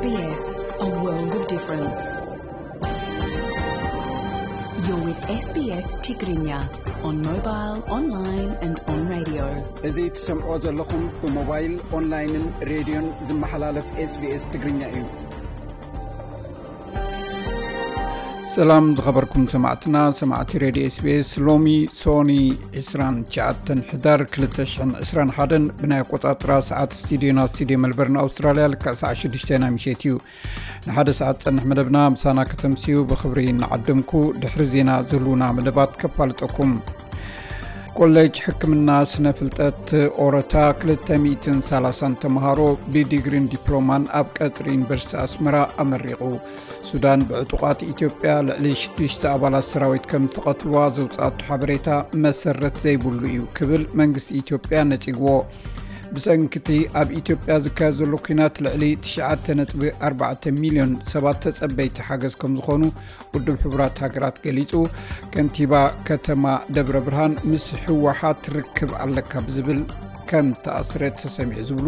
S B S, a world of difference. You're with S B S Tigrinya on mobile, online and on radio. እዚ ትሰምዖ ዘለኹም ብሞባይል፣ ኦንላይንን ሬድዮን ዝመሓላለፍ SBS ትግርኛ እዩ። ሰላም ዝኸበርኩም ሰማዕትና፣ ሰማዕቲ ሬድዮ SBS። ሎሚ ሶኒ ዕስራን ትሽዓተን ሕዳር ክልተ ሽሕን ዕስራን ሓደን ብናይ ኣቆጻጽራ ሰዓት ስቱዲዮና፣ ስቱዲዮ መልበርን ኣውስትራልያ፣ ልክዕ ሰዓት ሽዱሽተ ናይ ምሸት እዩ። ንሓደ ሰዓት ጸንሕ መደብና ምሳና ከተምስዩ ብኽብሪ እናዓደምኩ፣ ድሕሪ ዜና ዝህልዉና መደባት ከፋልጠኩም። ኮሌጅ ሕክምና ስነ ፍልጠት ኦረታ ክልተ ሚእትን ሰላሳን ተምሃሮ ብዲግሪን ዲፕሎማን ኣብ ቀጽሪ ዩኒቨርሲቲ ኣስመራ ኣመሪቑ። ሱዳን ብዕጡቓት ኢትዮጵያ ልዕሊ ሽዱሽተ ኣባላት ሰራዊት ከም ዝተቐትልዋ ዘውፅኣቶ ሓበሬታ መሰረት ዘይብሉ እዩ ክብል መንግስቲ ኢትዮጵያ ነፂግዎ። ብሰንክቲ ኣብ ኢትዮጵያ ዝካየድ ዘሎ ኲናት ልዕሊ ትሽዓተ ነጥቢ ኣርባዕተ ሚልዮን ሰባት ተጸበይቲ ሓገዝ ከም ዝኾኑ ውድብ ሕቡራት ሃገራት ገሊጹ። ከንቲባ ከተማ ደብረ ብርሃን ምስ ህወሓት ርክብ ኣለካ ብዝብል ከም ዝተኣስረ ተሰሚዑ ዝብሉ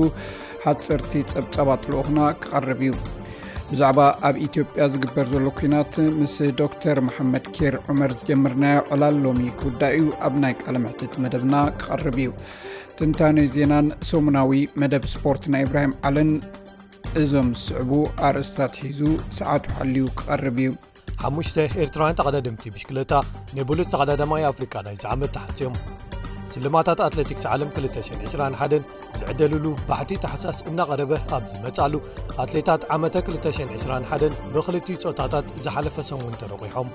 ሓጸርቲ ጸብጻባት ልኡኽና ክቐርብ እዩ። ብዛዕባ ኣብ ኢትዮጵያ ዝግበር ዘሎ ኲናት ምስ ዶክተር መሓመድ ኬር ዑመር ዝጀመርናዮ ዕላል ሎሚ ክውዳእ እዩ። ኣብ ናይ ቃለ መሕትት መደብና ክቐርብ እዩ። ትንታነ ዜናን ሰሙናዊ መደብ ስፖርት ናይ ኢብራሂም ዓለን እዞም ዝስዕቡ ኣርእስታት ሒዙ ሰዓቱ ሓልዩ ክቐርብ እዩ። ሓሙሽተ ኤርትራውያን ተቐዳደምቲ ብሽክለታ ናይ ብሉጽ ተቐዳዳማይ ኣፍሪቃ ናይዚ ዓመት ተሓጽዮም። ስልማታት ኣትሌቲክስ ዓለም ክልተ ሽሕን ዕስራን ሓደን ዝዕደልሉ ባሕቲ ታሕሳስ እናቐረበ ኣብ ዝመጻሉ፣ ኣትሌታት ዓመተ ክልተ ሽሕን ዕስራን ሓደን ብኽልቲኡ ጾታታት ዝሓለፈ ሰሙን ተረቑሖም።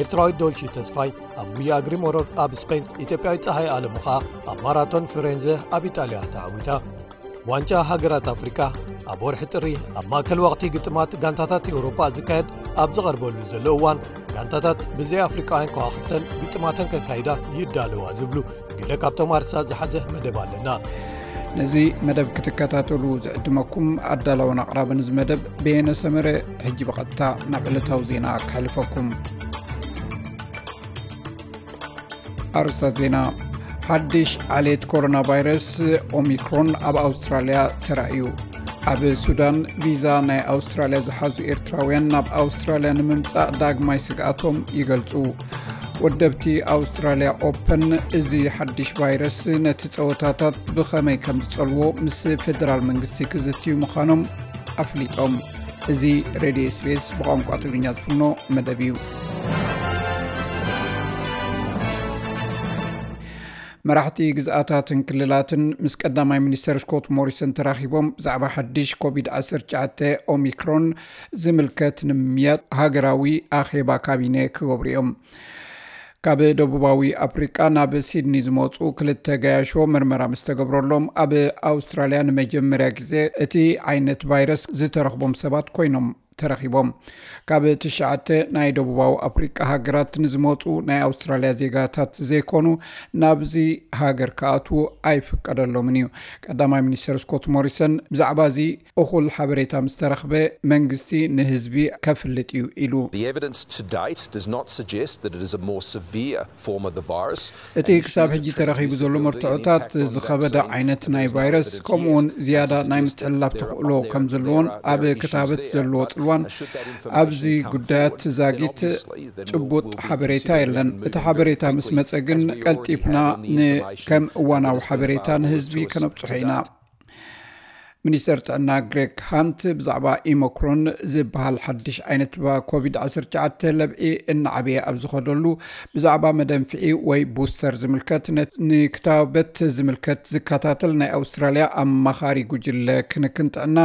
ኤርትራዊት ዶልሺ ተስፋይ ኣብ ጉያ እግሪ መሮር ኣብ ስፔን፣ ኢትዮጵያዊት ጸሃይ ኣለሙ ኸኣ ኣብ ማራቶን ፍሬንዘ ኣብ ኢጣልያ ተዓዊታ። ዋንጫ ሃገራት ኣፍሪቃ ኣብ ወርሒ ጥሪ ኣብ ማእከል ወቕቲ ግጥማት ጋንታታት ኤውሮጳ ዝካየድ ኣብ ዝቐርበሉ ዘሎ እዋን፣ ጋንታታት ብዘይ ኣፍሪቃውያን ከዋኽብተን ግጥማተን ከካይዳ ይዳለዋ ዝብሉ ገለ ካብቶም ኣርሳ ዝሓዘ መደብ ኣለና። ነዚ መደብ ክትከታተሉ ዝዕድመኩም ኣዳላውን ኣቕራብን እዚ መደብ በየነ ሰመረ። ሕጂ ብቐጥታ ናብ ዕለታዊ ዜና ከሕልፈኩም። ኣርእስታት ዜና። ሓድሽ ዓሌት ኮሮና ቫይረስ ኦሚክሮን ኣብ ኣውስትራልያ ተራእዩ። ኣብ ሱዳን ቪዛ ናይ ኣውስትራልያ ዝሓዙ ኤርትራውያን ናብ ኣውስትራልያ ንምምጻእ ዳግማይ ስግኣቶም ይገልጹ። ወደብቲ ኣውስትራልያ ኦፐን፣ እዚ ሓድሽ ቫይረስ ነቲ ጸወታታት ብኸመይ ከም ዝጸልዎ ምስ ፌደራል መንግስቲ ክዝትዩ ምዃኖም ኣፍሊጦም። እዚ ሬድዮ SBS ብቋንቋ ትግርኛ ዝፍኖ መደብ እዩ። መራሕቲ ግዝኣታትን ክልላትን ምስ ቀዳማይ ሚኒስተር ስኮት ሞሪሰን ተራኺቦም ብዛዕባ ሓድሽ ኮቪድ ዓሰርተ ትሽዓተ ኦሚክሮን ዝምልከት ንምምያጥ ሃገራዊ ኣኼባ ካቢነ ክገብሩ እዮም። ካብ ደቡባዊ ኣፍሪቃ ናብ ሲድኒ ዝመጹ ክልተ ገያሾ መርመራ ምስ ተገብረሎም፣ ኣብ ኣውስትራልያ ንመጀመርያ ግዜ እቲ ዓይነት ቫይረስ ዝተረኽቦም ሰባት ኮይኖም ተረኺቦም። ካብ ትሽዓተ ናይ ደቡባዊ ኣፍሪቃ ሃገራት ንዝመጹ ናይ ኣውስትራልያ ዜጋታት ዘይኮኑ ናብዚ ሃገር ክኣትዉ ኣይፍቀደሎምን እዩ። ቀዳማይ ሚኒስተር ስኮት ሞሪሰን ብዛዕባ እዚ እኹል ሓበሬታ ምስ ተረኽበ፣ መንግስቲ ንህዝቢ ከፍልጥ እዩ ኢሉ። The evidence to date does not suggest that it is a more severe form of the virus. እቲ ክሳብ ሕጂ ተረኺቡ ዘሎ መርትዖታት ዝኸበደ ዓይነት ናይ ቫይረስ፣ ከምኡውን ዝያዳ ናይ ምትሕልላፍ ተኽእሎ ከም ዘለዎን ኣብ ክታበት ዘለዎ ጽልዋን ኣብዚ ጉዳያት ዛጊት ጭቡጥ ሓበሬታ የለን። እቲ ሓበሬታ ምስ መጸ ግን ቀልጢፍና ን-፣ ከም እዋናዊ ሓበሬታ ንህዝቢ ከነብጽሖ ኢና። ሚኒስተር ጥዕና ግሬግ ሃንት ብዛዕባ ኢሞክሮን ዝበሃል ሓድሽ ዓይነት ባ-፣ ኮቪድ ዓሰርተ ትሽዓተ ለብዒ እናዓበየ ኣብ ዝኸደሉ፣ ብዛዕባ መደንፍዒ ወይ ቡስተር ዝምልከት፣ ነ-፣ ንክታበት ዝምልከት ዝከታተል ናይ ኣውስትራልያ ኣማኻሪ ጉጅለ ክንክን ጥዕና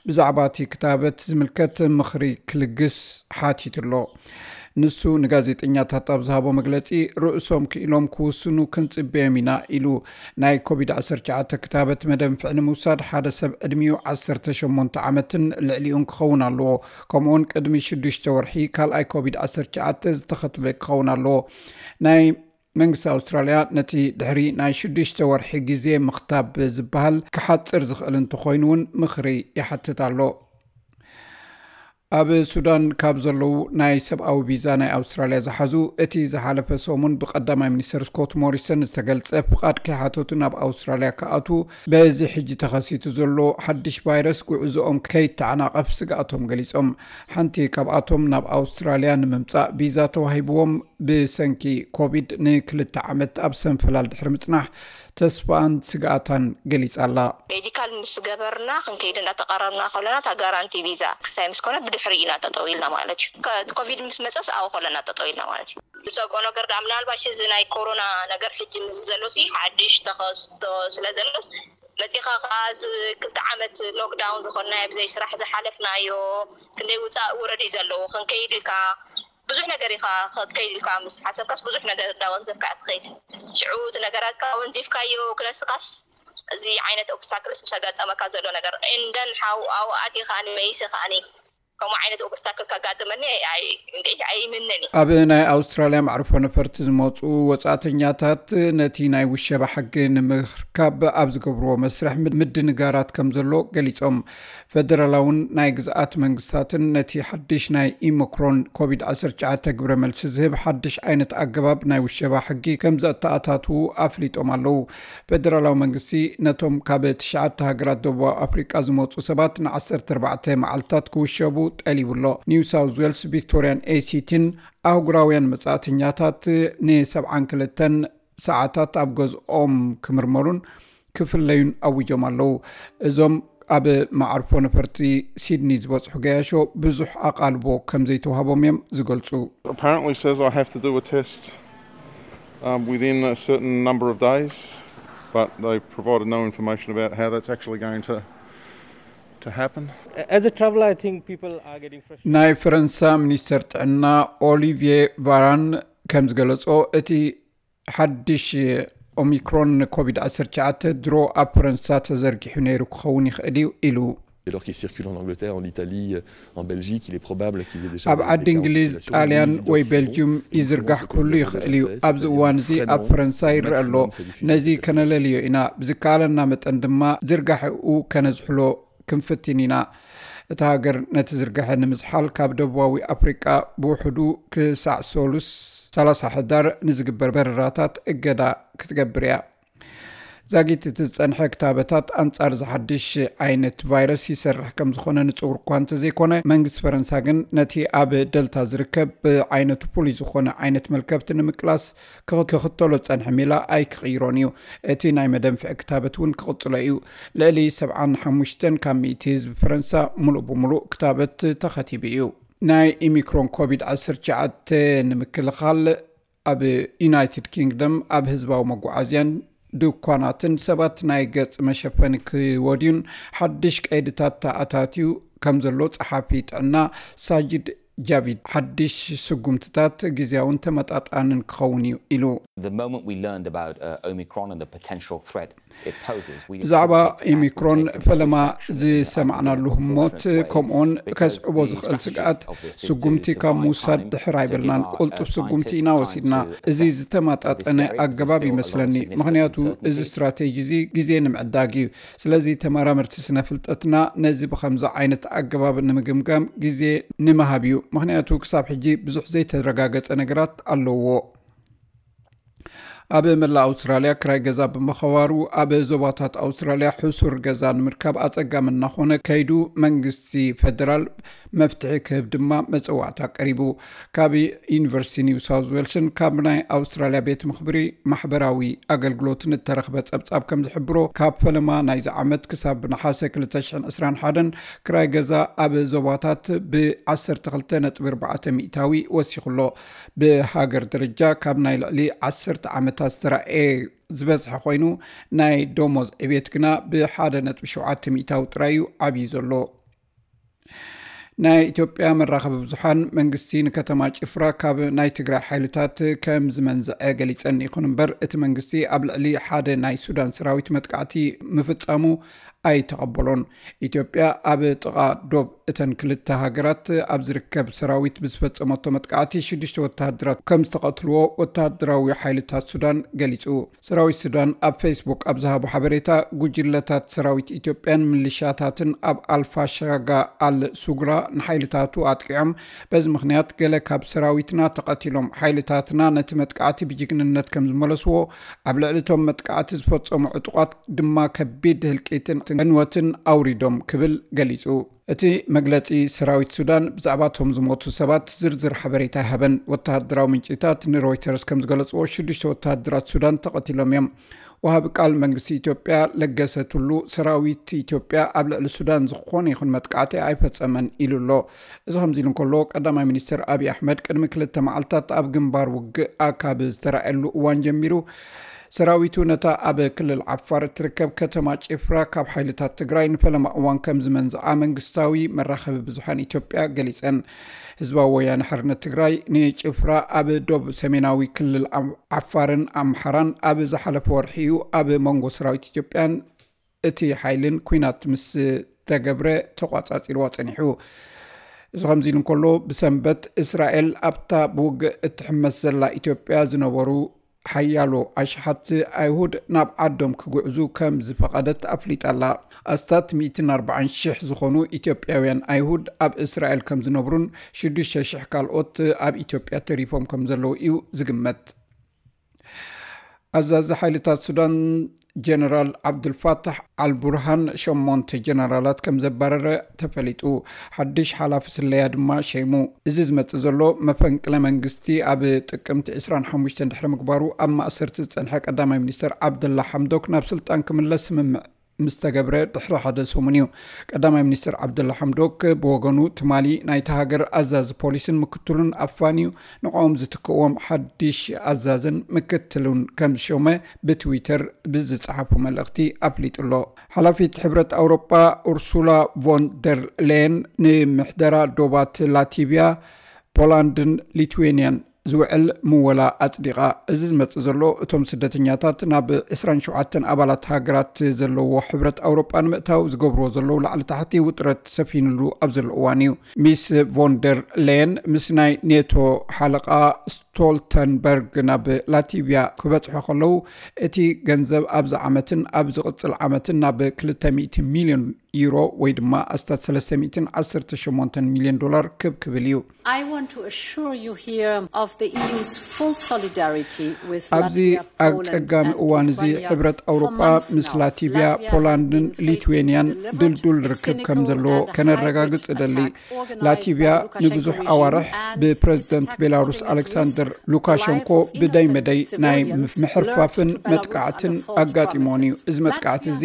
ብዛዕባ እቲ ክታበት ዝምልከት ምኽሪ ክልግስ ሓቲቱ ኣሎ። ንሱ ንጋዜጠኛታት ኣብ ዝሃቦ መግለጺ፣ ርእሶም ክኢሎም ክውስኑ ክንጽበዮም ኢና ኢሉ። ናይ ኮቪድ ዓሰርተ ትሽዓተ ክታበት መደንፍዒ ንምውሳድ ሓደ ሰብ ዕድሚኡ ዓሰርተ ሸሞንተ ዓመትን ልዕሊኡን ክኸውን ኣለዎ። ከምኡውን ቅድሚ ሽዱሽተ ወርሒ ካልኣይ ኮቪድ ዓሰርተ ትሽዓተ ዝተኸትበ ክኸውን ኣለዎ። ናይ መንግስቲ ኣውስትራልያ ነቲ ድሕሪ ናይ ሽዱሽተ ወርሒ ግዜ ምኽታብ ዝበሃል ክሓጽር ዝኽእል እንተኾይኑ እውን ምኽሪ ይሓትት ኣሎ። ኣብ ሱዳን ካብ ዘለዉ ናይ ሰብኣዊ ቪዛ ናይ ኣውስትራልያ ዝሓዙ፣ እቲ ዝሓለፈ ሰሙን ብቀዳማይ ሚኒስተር ስኮት ሞሪሰን ዝተገልጸ ፍቓድ ከይሓተቱ ናብ ኣውስትራልያ ክኣትዉ በዚ ሕጂ ተኸሲቱ ዘሎ ሓድሽ ቫይረስ ጉዕዞኦም ከይተዓናቐፍ ስግኣቶም ገሊጾም። ሓንቲ ካብኣቶም ናብ ኣውስትራልያ ንምምጻእ ቪዛ ተዋሂብዎም ብሰንኪ ኮቪድ ንክልተ ዓመት ኣብ ሰንፈላል ድሕሪ ምጽናሕ ተስፋኣን ስግኣታን ገሊጻ ኣላ። ሜዲካል ምስ ገበርና ክንከይድ እንዳተቐረብና ከለና እታ ጋራንቲ ቪዛ ክሳይ ምስ ኮነ ብድሕሪ ኢና ጠጠው ኢልና ማለት እዩ። ከ-፣ ኮቪድ ምስ መጸስ ኣብኡ ከለና ጠጠው ኢልና ማለት እዩ። ዝጸቆ ነገር ዳ ምናልባሽ እዚ ናይ ኮሮና ነገር ሕጂ ምስ ዘሎ ሲ ሓድሽ ተኸስቶ ስለ ዘሎስ መጺኻ ከኣ እዚ ክልተ ዓመት ሎክዳውን ዝኾንናዮ ብዘይ ስራሕ ዝሓለፍናዮ ክንደይ ውጻእ ውረድ እዩ ዘለዎ። ክንከይድ ኢልካ ብዙሕ ነገር ኢኻ ክትከይድ ኢልካ ምስ ሓሰብካስ ብዙሕ ነገር እንዳወንዘፍካ እያ ትኸይድ። ሽዑ እቲ ነገራትካ ወንዚፍካዮ ክነስኻስ እዚ ዓይነት ኦብስታክልስ ምስ ኣጋጠመካ ዘሎ ነገር እንደን ሓው ኣብኡ ኣትየ ከኣኒ መይሰ ከኣኒ ከምኡ ዓይነት ኦብስታክል ከጋጥመኒ ኣይ-፣ ኣይ-፣ ኣይምነን እዩ። ኣብ ናይ ኣውስትራልያ መዕርፎ ነፈርቲ ዝመፁ ወፃእተኛታት ነቲ ናይ ውሸባ ሕጊ ንምርካብ ኣብ ዝገብርዎ መስርሕ ምድ-፣ ምድንጋራት ከም ዘሎ ገሊፆም። ፈደራላውን ናይ ግዝኣት መንግስታትን ነቲ ሓድሽ ናይ ኢሞክሮን ኮቪድ ዓሰርተ ትሽዓተ ግብረ መልሲ ዝህብ ሓድሽ ዓይነት ኣገባብ ናይ ውሸባ ሕጊ ከም ዘተኣታትዉ ኣፍሊጦም ኣለዉ። ፈደራላዊ መንግስቲ ነቶም ካብ ትሽዓተ ሃገራት ደቡብ ኣፍሪቃ ዝመፁ ሰባት ን ዓሰርተ ኣርባዕተ መዓልታት ክውሸቡ ጠሊቡ ኣሎ። ኒው ሳውዝ ዌልስ፣ ቪክቶሪያን ኤሲቲን ኣህጉራውያን መጻእተኛታት ን ሰብዓን ክልተን ሰዓታት ኣብ ገዝኦም ክምርመሩን ክፍለዩን ኣዊጆም ኣለዉ። እዞም ኣብ መዓርፎ ነፈርቲ ሲድኒ ዝበጽሑ ገያሾ ብዙሕ ኣቓልቦ ከም ዘይተዋህቦም እዮም ዝገልጹ። Apparently says I have to do a test, um, within a certain number of days, but they provided no information about how that's actually going to, to happen. As a traveler, I think people are getting frustrated. ናይ ፈረንሳ ሚኒስተር ጥዕና ኦሊቪየ ቫራን ከም ዝገለጾ፣ እቲ ሓድሽ ኦሚክሮን ኮቪድ ዓሰርተ ትሽዓተ ድሮ ኣብ ፈረንሳ ተዘርጊሑ ነይሩ ክኸውን ይኽእል እዩ ኢሉ። Dès lors qu'il circule en Angleterre, en Italie, en Belgique, il est probable qu'il y ait déjà ኣብ ዓዲ እንግሊዝ፣ ጣልያን ወይ ቤልጅዩም ይዝርጋሕ ክህሉ ይኽእል እዩ። ኣብዚ እዋን እዚ ኣብ ፈረንሳ ይረአ ኣሎ። ነዚ ከነለልዮ ኢና። ብዝከኣለና መጠን ድማ ዝርጋሕኡ ከነዝሕሎ ክንፍትን ኢና። እታ ሃገር ነቲ ዝርግሐ ንምዝሓል ካብ ደቡባዊ ኣፍሪቃ ብውሕዱ ክሳዕ ሰሉስ ሰላሳ ሕዳር ንዝግበር በረራታት እገዳ ክትገብር እያ። ዛጊት እቲ ዝጸንሐ ክታበታት ኣንጻር ዝሓድሽ ዓይነት ቫይረስ ይሰርሕ ከም ዝኾነ ንጽውር እኳ እንተዘይኮነ፣ መንግስቲ ፈረንሳ ግን ነቲ ኣብ ደልታ ዝርከብ ብዓይነቱ ፍሉይ ዝኾነ ዓይነት መልከፍቲ ንምቅላስ ክኽ-፣ ክኽተሎ ዝጸንሐ ሜላ ኣይክቕይሮን እዩ። እቲ ናይ መደንፍዒ ክታበት እውን ክቕጽሎ እዩ። ልዕሊ ሰብዓን ሓሙሽተን ካብ ሚእቲ ህዝቢ ፈረንሳ ሙሉእ ብሙሉእ ክታበት ተኸቲቡ እዩ። ናይ ኢሚክሮን ኮቪድ ዓሰርተ ትሽዓተ ንምክልኻል ኣብ ዩናይትድ ኪንግደም ኣብ ህዝባዊ መጓዓዝያን ድኳናትን ሰባት ናይ ገጽ መሸፈኒ ክወድዩን ሓድሽ ቀይድታት ተኣታትዩ ከም ዘሎ ጸሓፊ ጥዕና ሳጂድ ጃቪድ ሓድሽ ስጉምትታት ግዜያውን ተመጣጣንን ክኸውን እዩ ኢሉ። The moment we learned about, uh, Omicron and the potential threat it poses, we ብዛዕባ hesitated and ኢሚክሮን taken ፈለማ swift action to ዝሰማዕናሉ provide ህሞት precautionary way ከምኡውን with because ከስዕቦ the ዝኽእል strategy ስግኣት of this is to, ስጉምቲ to ካብ buy ምውሳድ time ድሕር to give ኣይበልናን። our, uh, ቁልጡፍ ስጉምቲ ኢና scientists time ወሲድና። to እዚ assess ዝተማጣጠነ ኣገባብ ይመስለኒ፣ ምኽንያቱ እዚ ስትራቴጂ እዚ ግዜ ንምዕዳግ እዩ። ስለዚ ተመራመርቲ ስነ ፍልጠትና ነዚ ብኸምዚ ዓይነት ኣገባብ ንምግምጋም ግዜ ንምሃብ እዩ፣ ምኽንያቱ ክሳብ ሕጂ ብዙሕ ዘይተረጋገጸ ነገራት ኣለዎ። ኣብ መላእ ኣውስትራልያ ክራይ ገዛ ብምኸባሩ ኣብ ዞባታት ኣውስትራልያ ሕሱር ገዛ ንምርካብ ኣጸጋሚ እናኾነ ከይዱ መንግስቲ ፈደራል መፍትሒ ክህብ ድማ መጸዋዕታ ቀሪቡ። ካብ ዩኒቨርሲቲ ኒው ሳውዝ ዌልስን ካብ ናይ ኣውስትራልያ ቤት ምኽብሪ ማሕበራዊ ኣገልግሎትን እተረኽበ ጸብጻብ ከም ዝሕብሮ፣ ካብ ፈለማ ናይዚ ዓመት ክሳብ ነሓሰ ክልተ ሽሕን ዕስራን ሓደን ክራይ ገዛ ኣብ ዞባታት ብ ዓሰርተ ክልተ ነጥቢ ኣርባዕተ ሚእታዊ ወሲኹ ኣሎ። ብሃገር ደረጃ ካብ ናይ ልዕሊ ዓሰርተ ዓመታት ዝተራእየ ዝበዝሐ ኮይኑ፣ ናይ ደሞዝ ዕቤት ግና ብ ሓደ ነጥቢ ሸውዓተ ሚእታዊ ጥራይ እዩ ዓብዩ ዘሎ። ናይ ኢትዮጵያ መራኸቢ ብዙሓን መንግስቲ ንከተማ ጭፍራ ካብ ናይ ትግራይ ሓይልታት ከም ዝመንዝዐ ገሊጸን። ይኹን እምበር እቲ መንግስቲ ኣብ ልዕሊ ሓደ ናይ ሱዳን ሰራዊት መጥቃዕቲ ምፍጻሙ ኣይተቐበሎን። ኢትዮጵያ ኣብ ጥቓ ዶብ እተን ክልተ ሃገራት ኣብ ዝርከብ ሰራዊት ብዝፈጸመቶ መጥቃዕቲ ሽዱሽተ ወተሃደራት ከም ዝተቐትልዎ ወተሃደራዊ ሓይልታት ሱዳን ገሊጹ። ሰራዊት ሱዳን ኣብ ፌስቡክ ኣብ ዝሃቦ ሓበሬታ፣ ጉጅለታት ሰራዊት ኢትዮጵያን ምልሻታትን ኣብ ኣልፋሻጋ ኣል ሱግራ ንሓይልታቱ ኣጥቂዖም። በዚ ምኽንያት ገለ ካብ ሰራዊትና ተቐቲሎም። ሓይልታትና ነቲ መጥቃዕቲ ብጅግንነት ከም ዝመለስዎ፣ ኣብ ልዕሊ እቶም መጥቃዕቲ ዝፈጸሙ ዕጡቓት ድማ ከቢድ ህልቂትን ዕንወትን ኣውሪዶም ክብል ገሊጹ። እቲ መግለጺ ሰራዊት ሱዳን ብዛዕባ እቶም ዝሞቱ ሰባት ዝርዝር ሓበሬታ ኣይሃበን። ወተሃደራዊ ምንጭታት ንሮይተርስ ከም ዝገለጽዎ፣ ሽዱሽተ ወተሃደራት ሱዳን ተቐቲሎም እዮም። ወሃቢ ቃል መንግስቲ ኢትዮጵያ ለገሰ ቱሉ፣ ሰራዊት ኢትዮጵያ ኣብ ልዕሊ ሱዳን ዝኾነ ይኹን መጥቃዕቲ ኣይፈጸመን ኢሉ ኣሎ። እዚ ከምዚ ኢሉ እንከሎ፣ ቀዳማይ ሚኒስትር ኣብይ ኣሕመድ ቅድሚ ክልተ መዓልታት ኣብ ግንባር ውግእ ኣካብ ዝተራእየሉ እዋን ጀሚሩ፣ ሰራዊቱ ነታ ኣብ ክልል ዓፋር እትርከብ ከተማ ጭፍራ ካብ ሓይልታት ትግራይ ንፈለማ እዋን ከም ዝመንዝዓ መንግስታዊ መራኸቢ ብዙሓን ኢትዮጵያ ገሊጸን። ህዝባዊ ወያነ ሓርነት ትግራይ ንጭፍራ ኣብ ዶብ ሰሜናዊ ክልል ዓም-፣ ዓፋርን ኣምሓራን ኣብ ዝሓለፈ ወርሒ እዩ ኣብ መንጎ ሰራዊት ኢትዮጵያን እቲ ሓይልን ኲናት ምስ ተገብረ ተቋጻጺርዋ ጸኒሑ። እዚ ከምዚ ኢሉ እንከሎ፣ ብሰንበት እስራኤል ኣብታ ብውግእ እትሕመስ ዘላ ኢትዮጵያ ዝነበሩ ሓያሎ ኣሽሓት ኣይሁድ ናብ ዓዶም ክጉዕዙ ከም ዝፈቐደት ኣፍሊጣ ኣላ። ኣስታት ሚእትን ኣርባዓን ሽሕ ዝኾኑ ኢትዮጵያውያን ኣይሁድ ኣብ እስራኤል ከም ዝነብሩን ሽዱሽተ ሽሕ ካልኦት ኣብ ኢትዮጵያ ተሪፎም ከም ዘለዉ እዩ ዝግመት። ኣዛዚ ሓይልታት ሱዳን ጀነራል ዓብዱልፋታሕ ኣልቡርሃን ሸሞንተ ጀነራላት ከም ዘባረረ ተፈሊጡ። ሓድሽ ሓላፊ ስለያ ድማ ሸይሙ። እዚ ዝመጽእ ዘሎ መፈንቅለ መንግስቲ ኣብ ጥቅምቲ ዕስራን ሓሙሽተን ድሕሪ ምግባሩ ኣብ ማእሰርቲ ዝጸንሐ ቀዳማይ ሚኒስተር ዓብደላ ሓምዶክ ናብ ስልጣን ክምለስ ስምምዕ ምስ ተገብረ ድሕሪ ሓደ ሰሙን እዩ። ቀዳማይ ሚኒስተር ዓብደላ ሓምዶክ ብወገኑ፣ ትማሊ ናይታ ሃገር ኣዛዚ ፖሊስን ምክትሉን ኣፋንዩ ንዕኦም ዝትክእዎም ሓድሽ ኣዛዝን ምክትሉን ከም ዝሾመ ብትዊተር ብዝጸሓፎ መልእኽቲ ኣፍሊጡ ኣሎ። ሓላፊት ሕብረት ኣውሮጳ ኡርሱላ ቮን ደር ሌየን ንምሕደራ ዶባት ላቲቪያ፣ ፖላንድን ሊትዌንያን ዝውዕል ምወላ ኣጽዲቓ። እዚ ዝመጽእ ዘሎ፣ እቶም ስደተኛታት ናብ ዕስራን ሸውዓተን ኣባላት ሃገራት ዘለዎ ሕብረት ኣውሮጳ ንምእታው ዝገብርዎ ዘለዉ ላዕሊ ታሕቲ ውጥረት ሰፊንሉ ኣብ ዘሎ እዋን እዩ። ሚስ ቮንደር ሌየን ምስ ናይ ኔቶ ሓለቓ ስቶልተንበርግ ናብ ላቲቪያ ክበጽሑ ከለዉ፣ እቲ ገንዘብ ኣብዚ ዓመትን ኣብ ዝቕጽል ዓመትን ናብ ክልተ ሚእቲ ሚልዮን ዩሮ ወይ ድማ ኣስታት ሰለስተ ሚእትን ዓሰርተ ሸሞንተን ሚልዮን ዶላር ክብ ክብል እዩ። I want to assure you here of the E U's full solidarity with ኣብዚ ኣብ ጸጋሚ እዋን እዚ ሕብረት ኣውሮጳ ምስ ላቲቪያ፣ ፖላንድን ሊትዌንያን ድልዱል ርክብ ከም ዘለዎ ከነረጋግጽ እደሊ። ላቲቪያ ንብዙሕ ኣዋርሕ ብፕረዚደንት ቤላሩስ ኣሌክሳንደር ሉካሸንኮ ብደይ መደይ ናይ ምሕርፋፍን መጥቃዕትን ኣጋጢሞን እዩ። እዚ መጥቃዕቲ እዚ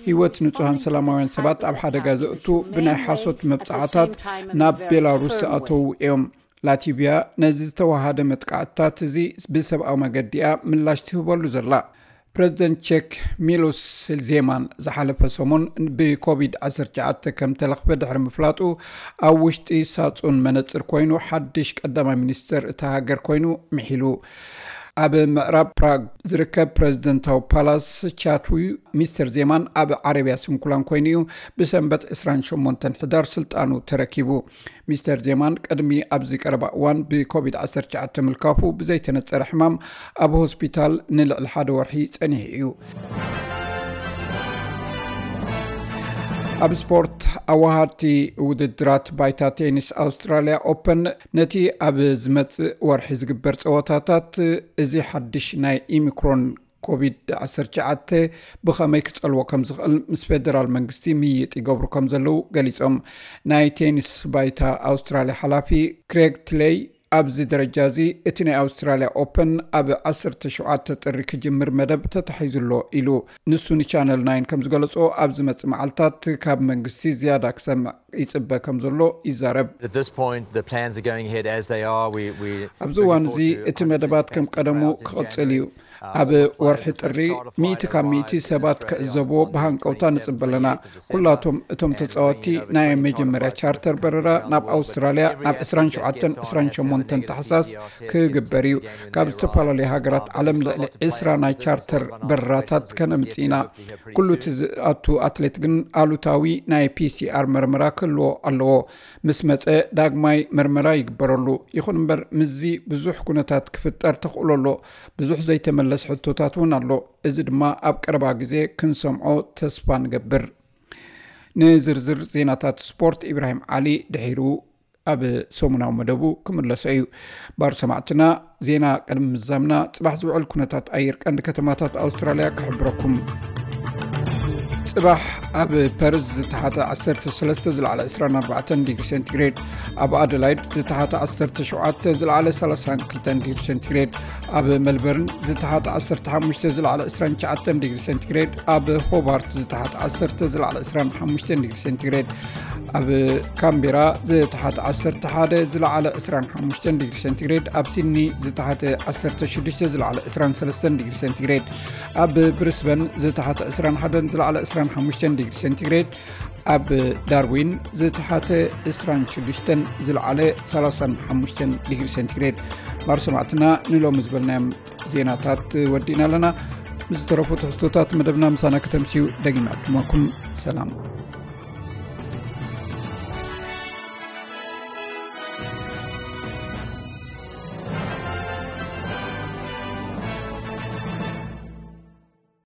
ህይወት ንጹሃን ሰላማውያን ሰባት ኣብ ሓደጋ ዘእቱ ብናይ ሓሶት መብጻዓታት ናብ ቤላሩስ ዝኣተዉ እዮም። ላቲቪያ ነዚ ዝተዋሃደ መጥቃዕትታት እዚ ብሰብኣዊ መገዲ እያ ምላሽ ትህበሉ ዘላ። ፕረዚደንት ቼክ ሚሎስ ዜማን ዝሓለፈ ሰሙን ብኮቪድ ዓሰርተ ትሽዓተ ከም ተለኽፈ ድሕሪ ምፍላጡ፣ ኣብ ውሽጢ ሳጹን መነጽር ኮይኑ ሓድሽ ቀዳማይ ሚኒስተር እታ ሃገር ኮይኑ ምሒሉ። ኣብ ምዕራብ ፕራግ ዝርከብ ፕረዚደንታዊ ፓላስ ቻትዊ፣ ሚስተር ዜማን ኣብ ዓረብያ ስንኩላን ኮይኑ እዩ ብሰንበት ዕስራን ሸሞንተን ሕዳር ስልጣኑ ተረኪቡ። ሚስተር ዜማን ቅድሚ ኣብዚ ቀረባ እዋን ብኮቪድ ዓሰርተ ትሽዓተ ምልካፉ ብዘይተነጸረ ሕማም ኣብ ሆስፒታል ንልዕሊ ሓደ ወርሒ ጸኒሑ እዩ። ኣብ ስፖርት፣ ኣዋሃድቲ ውድድራት ባይታ ቴኒስ ኣውስትራልያ ኦፐን ነቲ ኣብ ዝመጽእ ወርሒ ዝግበር ጸወታታት እዚ ሓድሽ ናይ ኢሚክሮን ኮቪድ ዓሰርተ ትሽዓተ ብኸመይ ክጸልዎ ከም ዝኽእል ምስ ፌደራል መንግስቲ ምይይጥ ይገብሩ ከም ዘለዉ ገሊጾም። ናይ ቴኒስ ባይታ ኣውስትራልያ ሓላፊ ክሬግ ትሌይ፣ ኣብዚ ደረጃ እዚ እቲ ናይ ኣውስትራልያ ኦፐን ኣብ ዓሰርተ ሸውዓተ ጥሪ ክጅምር መደብ ተታሒዙ ኣሎ ኢሉ። ንሱ ንቻነል ናይን ከም ዝገለጾ፣ ኣብ ዝመጽእ መዓልታት ካብ መንግስቲ ዝያዳ ክሰምዕ ይጽበ ከም ዘሎ ይዛረብ። At this point, the plans are going ahead as they are. We, we ኣብዚ እዋን እዚ እቲ መደባት ከም ቀደሙ ክቕጽል እዩ። ኣብ ወርሒ ጥሪ ሚእቲ ካብ ሚእቲ ሰባት ክዕዘብዎ ብሃንቀውታ ንጽበ ኣለና። ኩላቶም እቶም ተጻወትቲ ናይ መጀመርያ ቻርተር በረራ ናብ ኣውስትራልያ ናብ ዕስራን ሸውዓተን ዕስራን ሸሞንተን ታሕሳስ ክግበር እዩ። ካብ ዝተፈላለዩ ሃገራት ዓለም ልዕሊ ዕስራ ናይ ቻርተር በረራታት ከነምጽእ ኢና። ኩሉ እቲ ዝኣቱ ኣትሌት ግን ኣሉታዊ ናይ ፒሲኣር መርመራ ክህልዎ ኣለዎ። ምስ መጸ ዳግማይ መርመራ ይግበረሉ። ይኹን እምበር ምስዚ ብዙሕ ኩነታት ክፍጠር ተኽእሎ ኣሎ። ብዙሕ ዘይተመለስ ሕቶታት እውን ኣሎ። እዚ ድማ ኣብ ቀረባ ግዜ ክንሰምዖ ተስፋ ንገብር። ንዝርዝር ዜናታት ስፖርት ኢብራሂም ዓሊ ድሒሩ ኣብ ሰሙናዊ መደቡ ክምለሶ እዩ። ባር ሰማዕትና፣ ዜና ቅድሚ ምዛምና ጽባሕ ዝውዕል ኩነታት ኣየር ቀንዲ ከተማታት ኣውስትራልያ ክሕብረኩም። ጽባሕ ኣብ ፐርዝ ዝተሓተ ዓሰርተ ሰለስተ ዝለዓለ ዕስራን ኣርባዕተን ዲግሪ ሴንቲግሬድ፣ ኣብ ኣደላይድ ዝተሓተ ዓሰርተ ሸውዓተ ዝለዓለ ሰላሳን ክልተን ዲግሪ ሴንቲግሬድ፣ ኣብ መልበርን ዝተሓተ ዓሰርተ ሓሙሽተ ዝለዓለ ዕስራን ትሽዓተን ዲግሪ ሴንቲግሬድ፣ ኣብ ሆባርት ዝተሓተ ዓሰርተ ዝለዓለ ዕስራን ሓሙሽተን ዲግሪ ሴንቲግሬድ፣ ኣብ ካምቤራ ዝተሓተ ዓሰርተ ሓደ ዝለዓለ ዕስራን ሓሙሽተን ዲግሪ ሴንቲግሬድ፣ ኣብ ሲድኒ ዝተሓተ ዓሰርተ ሽዱሽተ ዝለዓለ ዕስራን ሰለስተን ዲግሪ ሴንቲግሬድ፣ ኣብ ብሪስበን ዝተሓተ ዕስራን ሓደን ዝለዓለ ዕስራን ሓሙሽተን ዲግሪ ሴንቲግሬድ፣ ኣብ ዳርዊን ዝተሓተ ዕስራን ሽዱሽተን ዝለዓለ ሰላሳን ሓሙሽተን ዲግሪ ሴንቲግሬድ። ባር ሰማዕትና፣ ንሎሚ ዝበልናዮም ዜናታት ወዲእና ኣለና። ምስ ዝተረፉ ትሕዝቶታት መደብና ምሳና ከተምስዩ ደጊመ ዕድመኩም። ሰላም።